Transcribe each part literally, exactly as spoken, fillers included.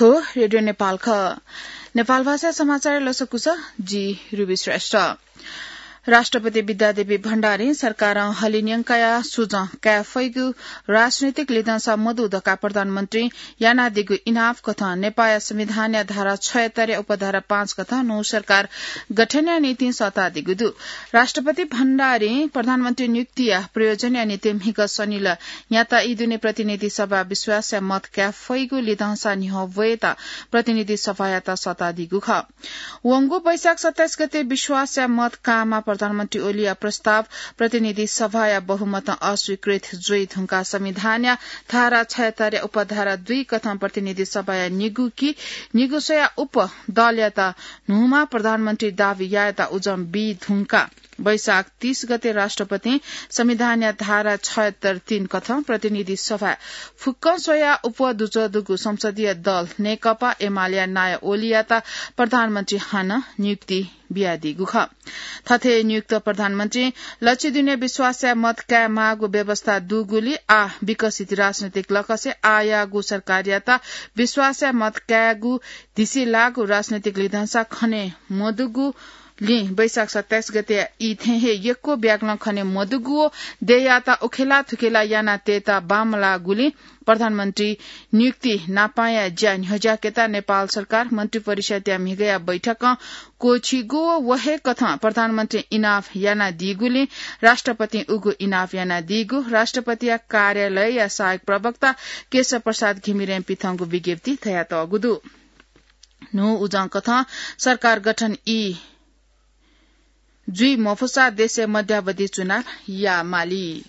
हो रेडियो नेपाल ख। नेपाल भाषा समाचार लसकुस, जि रुबी श्रेष्ठ। राष्ट्रपति विद्यादेवी भण्डारी सरकारं हलिन्यंकाया सुजं काये फइगु राजनैतिक लिधंसा मदु धकाः प्रधानमन्त्री यानादीगु इनाप कथं नेपाया संविधानया धारा छयत्तरया उपधारा पाँच कथं न्हू सरकार गठनया निंतिं सःतादीगु दु। राष्ट्रपति भण्डारी प्रधानमन्त्री नियुक्तिया प्रयोजनया निंतिं म्हिगः शनिलः न्याता ई दुने प्रतिनिधि सभा विश्वासया मत काये फइगु लिधंसा न्ह्यः वयेत प्रतिनिधि सभायात सःतादीगु खः। वंगु वैशाख सत्ताइस गते विश्वासया मत काःमा प्रधानमन्त्री ओलीया प्रस्ताव प्रतिनिधि सभाया बहुमतं अस्वीकृत जुइ धुंकाः संविधानया धारा छयत्तरया उपधारा दुई कथं प्रतिनिधि सभाया निगू कि निगू स्वया उप दलयात न्हूमा प्रधानमन्त्री दावी यायेत उजं बी धुंकाः वैशाख तीस गते राष्ट्रपतिं संविधानया धारा छयत्तर तीन कथं प्रतिनिधि सभाय् फुक्कं स्वया उप दुजः दुगु संसदीय दल नेकपा एमालेया नायः ओलीयात प्रधानमन्त्री हानं नियुक्ति बियादीगु खः। थथे नियुक्त प्रधानमन्त्री लछि दुने विश्वासया मत काये माःगु व्यवस्था दुगुलिं आः विकसित राजनैतिक लकसे आःयागु सरकारयात विश्वासया मत कायेगु धिसे लाःगु राजनैतिक लिधंसा खने मदुगु लिं वैशाख सत्ताइस गते ई थें हे यक्व ब्यागलं खने मदुगु व देय्‌यात उखेला थुखेला याना तयेत बांमलाःगुलिं प्रधानमन्त्री नियुक्ति नापांया ज्या न्ह्यज्याकेत नेपाल सरकार मन्त्री परिषद्या म्हिगःया बैठकं क्वःछिगु व व हे कथं प्रधानमन्त्री इनाप यानादीगुलिं राष्ट्रपतिं उगु इनाप यानादीगु राष्ट्रपतिया कार्यालयया सहायक प्रवक्ता केशव प्रसाद घिमिरें पिथंगु विज्ञप्ति धयातःगु दु। न्हू उजं कथं सरकार गठन ई जुइ मफुसा देशय् मध्यावधि चुनाव यायेमाली।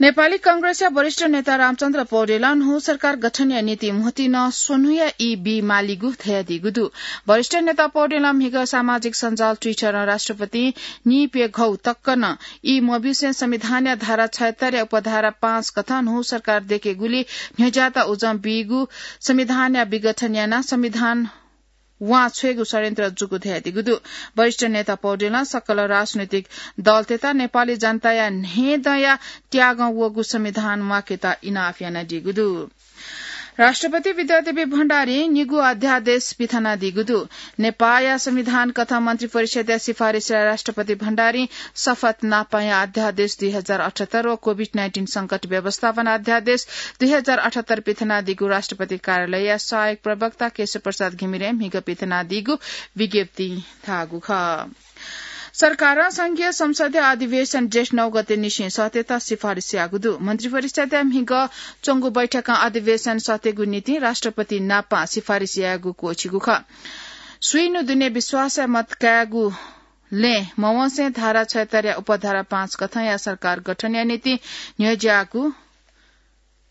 नेपाली कांग्रेसया वरिष्ठ नेता रामचन्द्र पौडेलं न्हू सरकार गठनया निंतिं म्होतिं स्वन्हुया ई बीमालीगु धयादीगु दु। वरिष्ठ नेता पौडेलं म्हिगः सामाजिक सञ्जाल Twitter-ं राष्ट्रपतिं नीप्यघौ तक नं ई मब्यूसें संविधानया धारा छयत्तरया उपधारा पाँच कथं न्हू सरकार दयेकेगुली न्ह्यज्यात उजं बीगु संविधानया विघटन यानाः संविधान वां छ्वयेगु षड्यन्त्र जूगु धयादीगु दु। वरिष्ठ नेता पौडेलं सकल राजनैतिक दलतय्‌त नेपाली जनताया न्हय्‌दँया त्यागं वःगु संविधान म्वाकेत इनाप यानादीगु दु। राष्ट्रपति विद्यादेवी भण्डारीं निगू अध्यादेश पिथनादीगु दु। नेपाःया संविधान कथं मन्त्री परिषद्या सिफारिसया राष्ट्रपति भण्डारीं शपथ नापांया अध्यादेश दुई हजार अठहत्तर व COVID nineteen संकट व्यवस्थापन अध्यादेश दुई हजार अठहत्तर पिथनादीगु राष्ट्रपति कार्यालयया सहायक प्रवक्ता केशव प्रसाद घिमिरें म्हिगः पिथनादीगु विज्ञप्तिं धाःगु खः। सरकारं संघीय संसदया अधिवेशन जेठ नौ गते निसें सःतेत सिफारिस याःगु दु। मन्त्री परिषद्या म्हिगः च्वंगु बैठकं अधिवेशन सःतेगु निंतिं राष्ट्रपति नापां सिफारिस यायेगु क्वःछिगु खः। स्वीन्हु दुने विश्वासया मत कायेगु लँय् मवंसें धारा छयत्तरया उपधारा पाँच कथंया सरकार गठनया निंतिं न्ह्यज्याःगु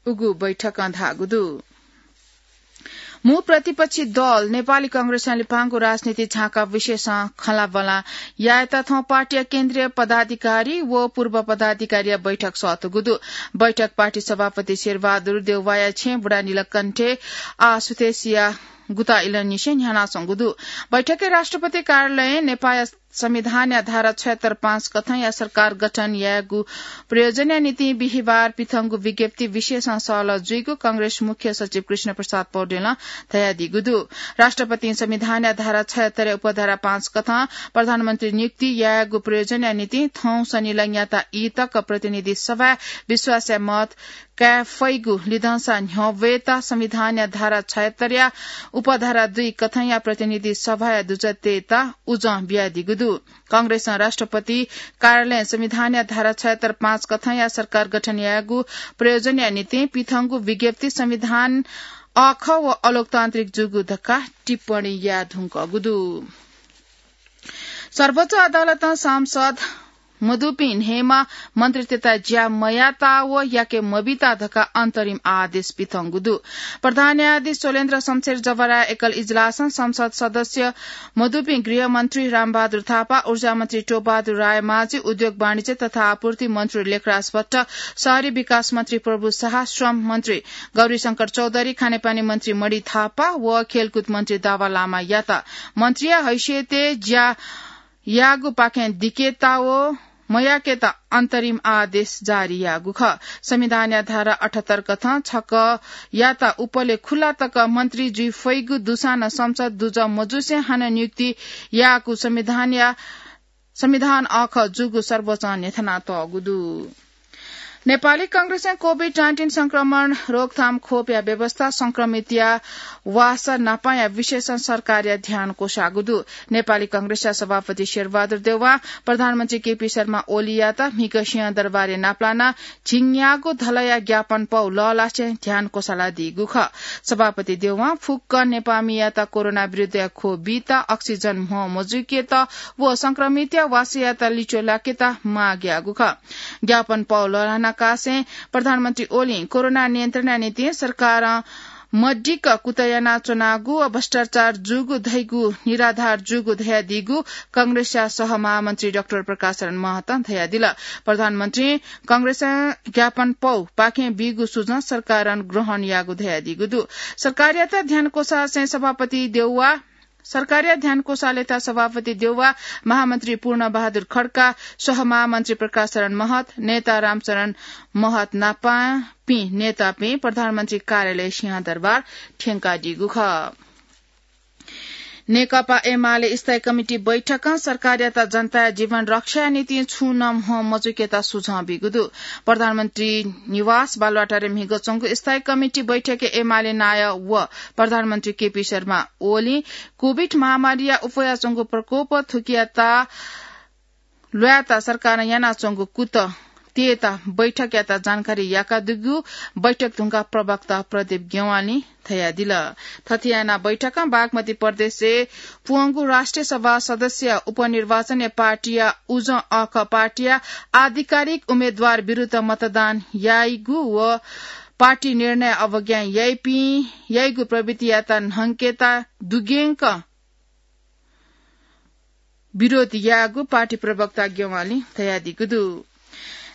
उगु बैठकं धाःगु दु। मू प्रतिपक्षी दल नेपाली कांग्रेसं लिपांगु राजनीति झांका विषयसं खँल्हाबल्हा यायेत थौं पार्टीया केन्द्रीय पदाधिकारी व पूर्व पदाधिकारीया बैठक सःतूगु दु। बैठक पार्टी सभापति शेरबहादुर देउवाया छेँय् बुढा नीलकण्ठे आः सुथय्‌सिया गुता इलंनिसें न्ह्यानाच्वंगु दु। बैठकय् राष्ट्रपति कार्यालयं नेपाःया संविधानया धारा छयत्तर पाँच कथंया सरकार गठन यायेगु प्रयोजनया निंतिं बिहिबार पिथंगु विज्ञप्ति विषयसं सहलह जुइगु कांग्रेस मुख्य सचिव कृष्ण प्रसाद पौडेलं धयादीगु दु। राष्ट्रपतिं संविधानया धारा छयत्तरया उपधारा पाँच कथं प्रधानमन्त्री नियुक्ति यायेगु प्रयोजनया निंतिं थौं शनिलः न्याता ई तक प्रतिनिधि सभाय् विश्वासया मत काये फइगु लिधंसा न्ह्यः वयेत संविधानया धारा छयत्तरया उपधारा दुई कथंया प्रतिनिधि सभाया दुजः तयेत उजं बियादीगु दु। कांग्रेसं राष्ट्रपति कार्यालयं संविधानया धारा छयत्तर पाँच कथंया सरकार गठन यायेगु प्रयोजनया निंतिं पिथंगु विज्ञप्ति संविधान अःखः व अलोकतान्त्रिक जूगु धकाः टिप्पणी याये धुंकूगु दु। सर्वोच्च अदालतं सांसद मदुपिं न्हय्‌म्ह मन्त्रीतय्‌त ज्या मयात व याके मबित धकाः अन्तरिम आदेश पिथंगु दु। प्रधान न्यायाधीश शैलेन्द्र शमशेर जवराया एकल इजलासं संसद सदस्य मदुपिं गृहमन्त्री रामबहादुर थापा, ऊर्जामन्त्री टोपबहादुर रायमाझी, उद्योग वाणिज्य तथा आपूर्ति मन्त्री लेखराज भट्ट, शहरी विकास मन्त्री प्रभु शाह, श्रम मन्त्री गौरीशंकर चौधरी, खानेपानी मन्त्री मणि थापा व खेलकुद मन्त्री दावा लामायात मन्त्रीया हैसियतय् ज्या याःगुपाखें दिकेत व मयाकेत अन्तरिम आदेश जारी याःगु खः। संविधानया धारा अठहत्तर कथं छकःयात उपले खुला तक मन्त्री जुइ फइगु दुसां नं संसद दुजः मजुसे हानं नियुक्ति याःगु संविधानया, संविधान अःखः जूगु सर्वोच्चं न्ह्यथनातःगु दु। नेपाली कांग्रेसं कोभिड नाइन्टिन संक्रमण रोकथाम खोपया व्यवस्था, संक्रमितया वासः नापाया विषयसं सरकारया ध्यान क्वसाःगु दु। नेपाली कांग्रेसया सभापति शेरबहादुर देउवां प्रधानमन्त्री केपी शर्मा ओलीयात म्हिगः सिंहदरबारय् नापलानाः झिंन्यागू धलया ज्ञापन पौ लःल्हासें ध्यान क्वसालादीगु खः। सभापति देउवां फुक्क नेपाःमियात कोरोना विरुद्धया ख्वः बीत, अक्सिजन म्ह मजुइकेत व संक्रमितया वासःयात लिच्वः लाकेत माग याःगु खः। ज्ञापन पौ लःल्हाना कासें प्रधानमन्त्री ओलीं कोरोना नियन्त्रणया निंतिं सरकारं मदिक्क कुतः यानाच्वनागु व भ्रष्टाचार जूगु धइगु निराधार जूगु धयादीगु कांग्रेसया सहमहामन्त्री डाक्टर प्रकाश शरण महतं धयादिल। प्रधानमन्त्रीं कांग्रेसं ज्ञापन पौ पाखें बीगु सुझाव सरकारं ग्रहण याःगु धयादीगु दु। सरकारयात ध्यान क्वसासें सभापति देउवा सरकारया ध्यान क्वसालेत सभापति देउवा, महामन्त्री पूर्ण बहादुर खड्का, सहमहामन्त्री प्रकाश शरण महत, नेता रामशरण महत नापापिं नेतापिं प्रधानमन्त्री कार्यालय सिंहदरबार थ्यंकादीगु खः। नेकपा एमाले स्थायी कमिटी बैठकं सरकारयात जनताया जीवन रक्षाया निंतिं छुं नं म्ह मजुकेत सुझाव बीगु दु। प्रधानमन्त्री निवास बालुवाटारय् म्हिगः च्वंगु स्थायी कमिटी बैठकय् एमाले नायः व प्रधानमन्त्री केपी शर्मा ओलीं कोभिड महामारीया उफयाच्वंगु प्रकोप थुकियात ल्वायेत सरकारं यानाच्वंगु कुतः तयेत बैठकयात जानकारी याकादीगु बैठक धुंकाः प्रवक्ता प्रदीप ज्ञवालीं धयादिल। थथे यानाः बैठकं बागमती प्रदेशय् प्वंगु राष्ट्रिय सभा सदस्य उपनिर्वाचनय् पार्टीया उजं अःखः पार्टीया आधिकारिक उम्मेदवार विरुद्ध मतदान याइगु व पार्टी निर्णय अवज्ञा याइपिं याइगु प्रवृत्तियात न्हंकेत दुग्यंक विरोध याःगु पार्टी प्रवक्ता ज्ञवालीं धयादीगु दु।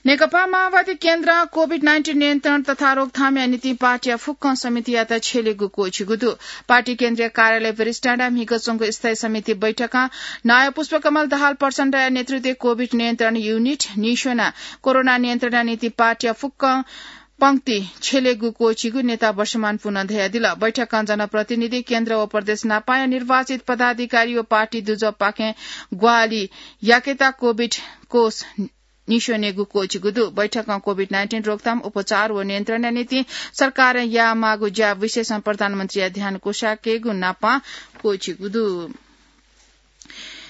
नेकपा माओवादी केन्द्रं कोभिड नाइन्टिन नियन्त्रण तथा रोकथामया निंतिं पार्टीया फुक्कं समितियात छ्यलेगु क्वःछिगु दु। पार्टी केन्द्रीय कार्यालय वरिष्ठांडा म्हिगः च्वंगु स्थायी समिति बैठकं नायः पुष्पकमल दाहाल प्रचण्डया नेतृत्वय् कोभिड नियन्त्रण युनिट निस्वनाः कोरोना नियन्त्रणया निंतिं पार्टीया फुक्कं पंक्ति छ्यलेगु क्वःछिगु नेता वर्षमान पुनं धयादिल। बैठकं जनप्रतिनिधि, केन्द्र व प्रदेश नापाया निर्वाचित पदाधिकारी व पार्टी दुजःपाखें ग्वाहालि याकेत कोभिड कोष निस्वनेगु क्वःछिगु दु। बैठकं कोभिड नाइन्टिन रोकथाम, उपचार व नियन्त्रणया निंतिं सरकारं यायेमाःगु ज्या विषयसं प्रधानमन्त्रीया ध्यान क्वसाकेगु नापं क्वःछिगु दु।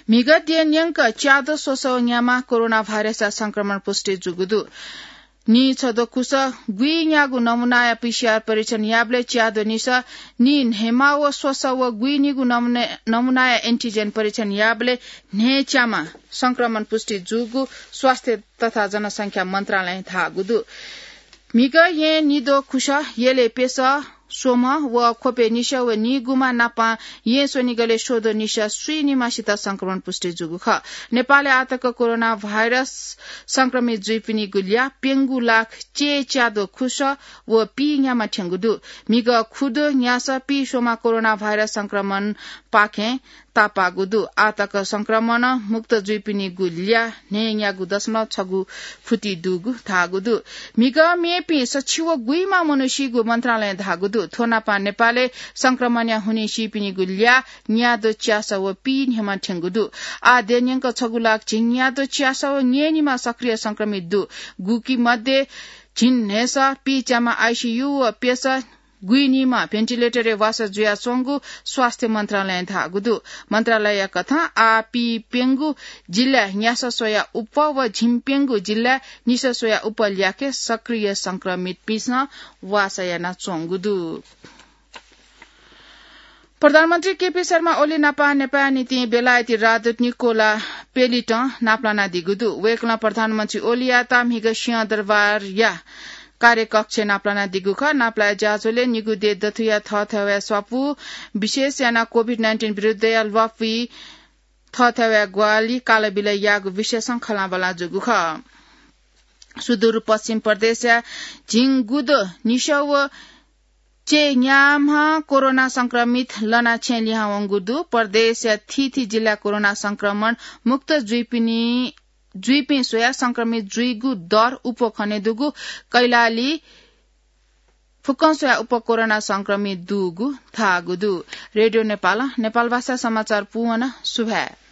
म्हिगः द्यः न्यंक च्याद्वः स्वसः व न्याम्ह कोरोना भाइरसया संक्रमण पुष्टि जूगु दु। नीछद्वः खुसः गुइन्यागू नमुनाया पीसीआर परीक्षण याःबलय् च्याद्वः निसः नीन्हय्म्ह व स्वसः व गुइनिगू नमुना, नमुनाया एन्टिजेन परीक्षण याःबलय् न्हय्च्याम्ह संक्रमण पुष्टि जूगु स्वास्थ्य तथा जनसंख्या मन्त्रालयं धाःगु दु। म्हिगः येँ निद्वः खुसः, यलय् प्यसः स्वम्ह व ख्वपय् निसः व नीगुम्ह नापं येँ स्वनिगलय् स्वद्वः निसः स्वीनिम्हसित संक्रमण पुष्टि जूगु खः। नेपालय् आःतक कोरोना भाइरस संक्रमित जुइपिनिगु ल्याः प्यंगू लाख चय्च्याद्वः खुसः व पीन्याम्ह थ्यंगु दु। म्हिगः खुद्वः न्यासः पीस्वम्ह कोरोना भाइरस संक्रमणपाखें तापाःगु दु। आःतक संक्रमण मुक्त जुइपिनिगु ल्याः न्हय्न्यागू दशमलव छगू फुति दुगु धाःगु दु। म्हिगः मेपिं सछि व गुइम्ह मनू सीगु मन्त्रालयं धाःगु दु। थ्व नापं नेपालय् संक्रमणया हुनिं सीपिनिगु ल्याः न्याद्वः च्यासः व पीन्हय्म्ह थ्यंगु दु। आः द्यः न्यंक छगू लाख झिंन्याद्वः च्यासः व न्यय्निम्ह सक्रिय संक्रमित दु। गुकी मध्ये झिंन्हय्सः पीच्याम्ह आइसीयू व प्यसः गुइनिम्ह भेन्टिलेटरय् वासः जुयाच्वंगु स्वास्थ्य मन्त्रालयं धाःगु दु। मन्त्रालयया कथं आः पीप्यंगू जिल्लाय् न्यासः स्वयाः उप्वः व झिंप्यंगू जिल्लाय् निसः स्वयाः उप्वः ल्याखय् सक्रिय संक्रमितपिन्सं वासः यानाच्वंगु दु। प्रधानमन्त्री केपी शर्मा ओली नापं नेपाःया निंतिं बेलायती राजदूत निकोला पेलिटं नापलानादीगु दु। वय्कलं प्रधानमन्त्री ओलीयात म्हिगः सिंहदरबारया कार्यकक्षय् नापलानादीगु खः। नापलाया ज्याझ्वलय् निगू देय् दथुया थःथवय् स्वापू, विशेष यानाः कोभिड नाइन्टिन विरुद्धया ल्वापुइ थःथवय् ग्वाहालि कालबिलय् याःगु विषयसं खँल्हाबल्हा जूगु खः। सुदूरपश्चिम प्रदेशया झिंगुद्वः निसः व चय्न्याम्ह कोरोना संक्रमित लनाः छेँय् लिहां वंगु दु। प्रदेशया थीथी जिल्लाय् कोरोना संक्रमण मुक्त जुइपिनि जुइपिं स्वयाः संक्रमित जुइगु दर उप खने दुगु कैलाली फुक्कं स्वयाः उप कोरोना संक्रमित दुगु धाःगु दु। रेडियो नेपाल, नेपाल भाषा समाचार पूवना। सुभाय्।